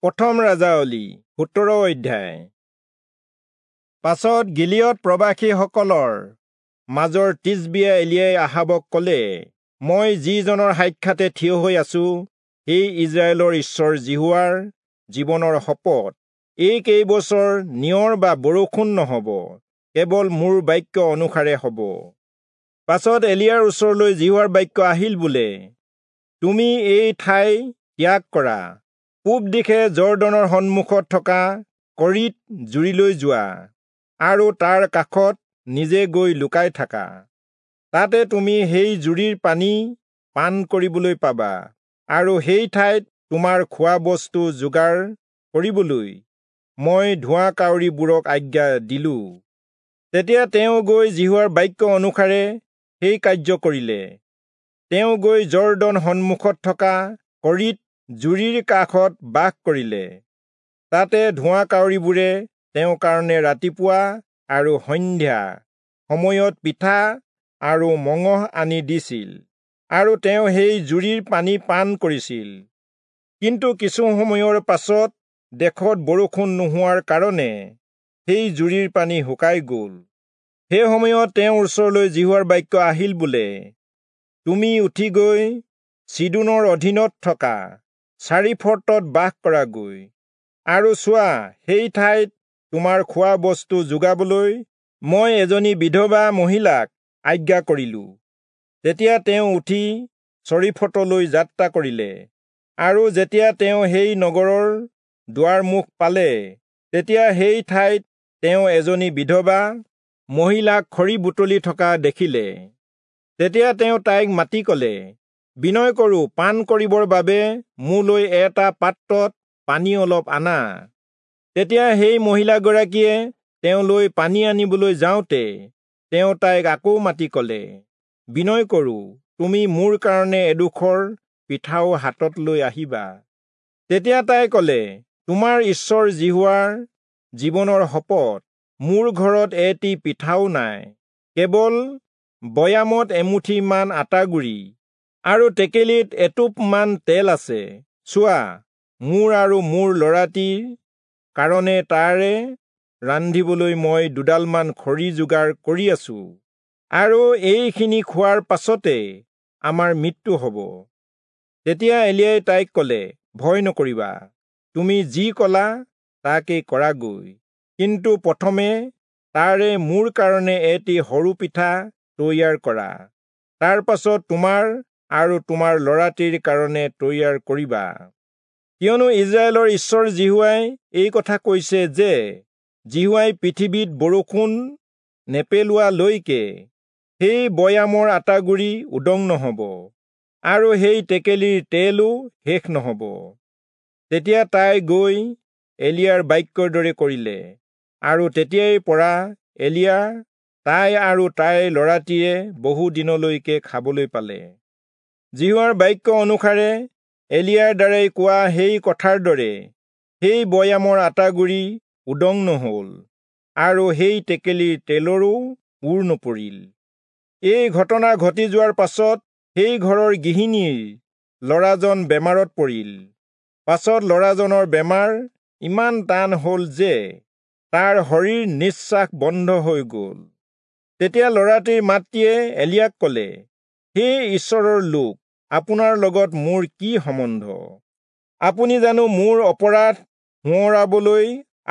প্ৰথম ৰাজাৱলী 17 অধ্যায়। পাছত গিলিয়দ প্ৰবাসীসকলৰ মাজৰ তিচবিয়া এলিয়াই আহাবক কলে, মই যিজনৰ সাক্ষাতে থিয় হৈ আছো, সেই ইজৰাইলৰ ঈশ্বৰ যিহোৱাৰ জীৱনৰ শপত, এই কেইবছৰ নিয়ৰ বা বৰষুণ নহব, কেৱল মোৰ বাক্য অনুসাৰে হব। পাছত এলিয়াৰ ওচৰলৈ যিহোৱাৰ বাক্য আহিল বোলে, তুমি এই ঠাই ত্যাগ কৰা, পূব দিশে যৰ্দনৰ সন্মুখত থকা কৰিত জুৰিলৈ যোৱা আৰু তাৰ কাষত নিজে গৈ লুকাই থাকা। তাতে তুমি সেই জুৰিৰ পানী পান কৰিবলৈ পাবা আৰু সেই ঠাইত তোমাৰ খোৱা বস্তু যোগাৰ কৰিবলৈ মই ধোঁৱা কাউৰীবোৰক আজ্ঞা দিলো। তেতিয়া তেওঁ গৈ যিহোৱাৰ বাক্য অনুসাৰে সেই কাৰ্য কৰিলে। তেওঁ গৈ যৰ্দন সন্মুখত থকা কৰিত জুৰিৰ কাষত বাস কৰিলে। তাতে ধোঁৱা কাউৰীবোৰে তেওঁৰ কাৰণে ৰাতিপুৱা আৰু সন্ধ্যা সময়ত পিঠা আৰু মঙহ আনি দিছিল আৰু তেওঁ সেই জুৰিৰ পানী পান কৰিছিল। কিন্তু কিছু সময়ৰ পাছত দেশত বৰষুণ নোহোৱাৰ কাৰণে সেই জুৰিৰ পানী শুকাই গ'ল। সেই সময়ত তেওঁৰ ওচৰলৈ যিহোৱাৰ বাক্য আহিল বোলে, তুমি উঠি গৈ চিদোনৰ অধীনত থকা চাৰিফৰ্টত বাস কৰাগৈ আৰু চোৱা, সেই ঠাইত তোমাৰ খোৱা বস্তু যোগাবলৈ মই এজনী বিধৱা মহিলাক আজ্ঞা কৰিলো। তেতিয়া তেওঁ উঠি চৰিফটলৈ যাত্ৰা কৰিলে আৰু যেতিয়া তেওঁ সেই নগৰৰ দুৱাৰমুখ পালে, তেতিয়া সেই ঠাইত তেওঁ এজনী বিধৱা মহিলাক খৰি বুটলি থকা দেখিলে। তেতিয়া তেওঁ তাইক মাতি কলে, বিনয় কৰো, পান কৰিবৰ বাবে মোলৈ এটা পাত্ৰত পানী অলপ আনা। তেতিয়া সেই মহিলাগৰাকীয়ে তেওঁলৈ পানী আনিবলৈ যাওঁতে তেওঁ তাইক আকৌ মাতি কলে, বিনয় কৰো, তুমি মোৰ কাৰণে এডোখৰ পিঠাও হাতত লৈ আহিবা। তেতিয়া তাই কলে, তোমাৰ ঈশ্বৰ যিহোৱাৰ জীৱনৰ শপত, মোৰ ঘৰত এটি পিঠাও নাই, কেৱল বৈয়ামত এমুঠিমান আটাগুড়ি আৰু টেকেলিত এটোপমান তেল আছে। চোৱা, মোৰ আৰু মোৰ ল'ৰাটিৰ কাৰণে তাৰে ৰান্ধিবলৈ মই দুডালমান খৰি যোগাৰ কৰি আছো আৰু এইখিনি খোৱাৰ পাছতে আমাৰ মৃত্যু হব। তেতিয়া এলিয়াই তাইক কলে, ভয় নকৰিবা, তুমি যি কলা তাকেই কৰাগৈ, কিন্তু প্ৰথমে তাৰে মোৰ কাৰণে এটি সৰু পিঠা তৈয়াৰ কৰা, তাৰ পাছত তোমাৰ আৰু তোমাৰ ল'ৰাটিৰ কাৰণে তৈয়াৰ কৰিবা। কিয়নো ইজৰাইলৰ ঈশ্বৰ যিহোৱাই এই কথা কৈছে যে, যিহোৱাই পৃথিৱীত বৰষুণ নেপেলোৱালৈকে সেই বৈয়ামৰ আটাগুড়ি উদং নহব আৰু সেই টেকেলিৰ তেলো শেষ নহব। তেতিয়া তাই গৈ এলিয়াৰ বাক্যৰ দৰে কৰিলে আৰু তেতিয়াৰ পৰা এলিয়া, তাই আৰু তাইৰ ল'ৰাটিয়ে বহু দিনলৈকে খাবলৈ পালে। যিহোৱাৰ বাক্য অনুসাৰে এলিয়াৰ দ্বাৰাই কোৱা সেই কথাৰ দৰে সেই বৈয়ামৰ আটাগুড়ি উদং নহল আৰু সেই টেকেলিৰ তেলৰো ওৰ নপৰিল। এই ঘটনা ঘটি যোৱাৰ পাছত সেই ঘৰৰ গৃহিণীৰ ল'ৰাজন বেমাৰত পৰিল। পাছত ল'ৰাজনৰ বেমাৰ ইমান টান হ'ল যে তাৰ শৰীৰ নিশ্বাস বন্ধ হৈ গ'ল। তেতিয়া ল'ৰাটিৰ মাতৃয়ে এলিয়াক কলে, হে ঈশ্বৰৰ লোক, আপোনাৰ লগত মোৰ কি সম্বন্ধ? আপুনি জানো মোৰ অপৰাধ সোঁৱৰাবলৈ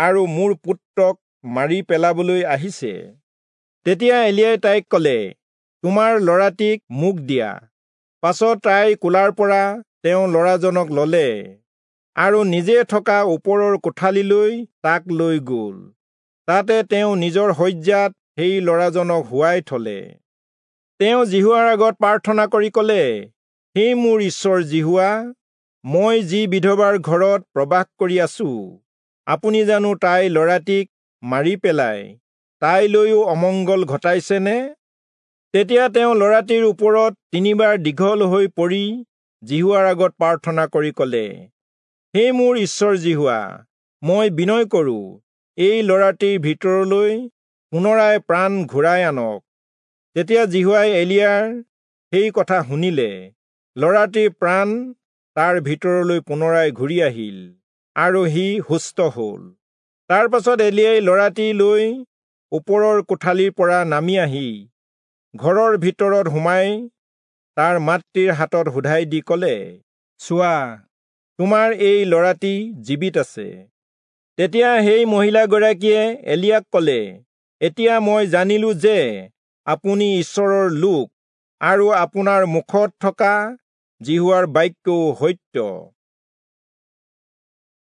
আৰু মোৰ পুত্ৰক মাৰি পেলাবলৈ আহিছে? তেতিয়া এলিয়াই তাইক কলে, তোমাৰ ল'ৰাটিক মোক দিয়া। পাছত তাই কোলাৰ পৰা তেওঁ ল'ৰাজনক ললে আৰু নিজে থকা ওপৰৰ কোঠালিলৈ তাক লৈ গ'ল। তাতে তেওঁ নিজৰ শয্যাত সেই ল'ৰাজনক শুৱাই থলে। তেওঁ যিহোৱাৰ আগত প্ৰাৰ্থনা কৰি কলে, হে মোৰ ঈশ্বৰ যিহোৱা, মই যি বিধৱাৰ ঘৰত প্ৰবাস কৰি আছো, আপুনি জানো তাইৰ ল'ৰাটিক মাৰি পেলাই তাইলৈও অমংগল ঘটাইছেনে? তেতিয়া তেওঁ ল'ৰাটিৰ ওপৰত তিনিবাৰ দীঘল হৈ পৰি যিহোৱাৰ আগত প্ৰাৰ্থনা কৰি কলে, হে মোৰ ঈশ্বৰ যিহোৱা, মই বিনয় কৰো, এই ল'ৰাটিৰ ভিতৰলৈ পুনৰাই প্ৰাণ ঘূৰাই আনক। তেতিয়া যিহোৱাই এলিয়াৰ সেই কথা শুনিলে। ল'ৰাটিৰ প্ৰাণ তাৰ ভিতৰলৈ পুনৰাই ঘূৰি আহিল আৰু সি সুস্থ হ'ল। তাৰ পাছত এলিয়াই ল'ৰাটি লৈ ওপৰৰ কোঠালিৰ পৰা নামি আহি ঘৰৰ ভিতৰত সোমাই তাৰ মাতৃৰ হাতত সোধাই দি ক'লে, চোৱা, তোমাৰ এই ল'ৰাটি জীৱিত আছে। তেতিয়া সেই মহিলাগৰাকীয়ে এলিয়াক ক'লে, এতিয়া মই জানিলো যে আপুনি ঈশ্বৰৰ লোক আৰু আপোনাৰ মুখত থকা যিহোৱাৰ বাক্যও সত্য।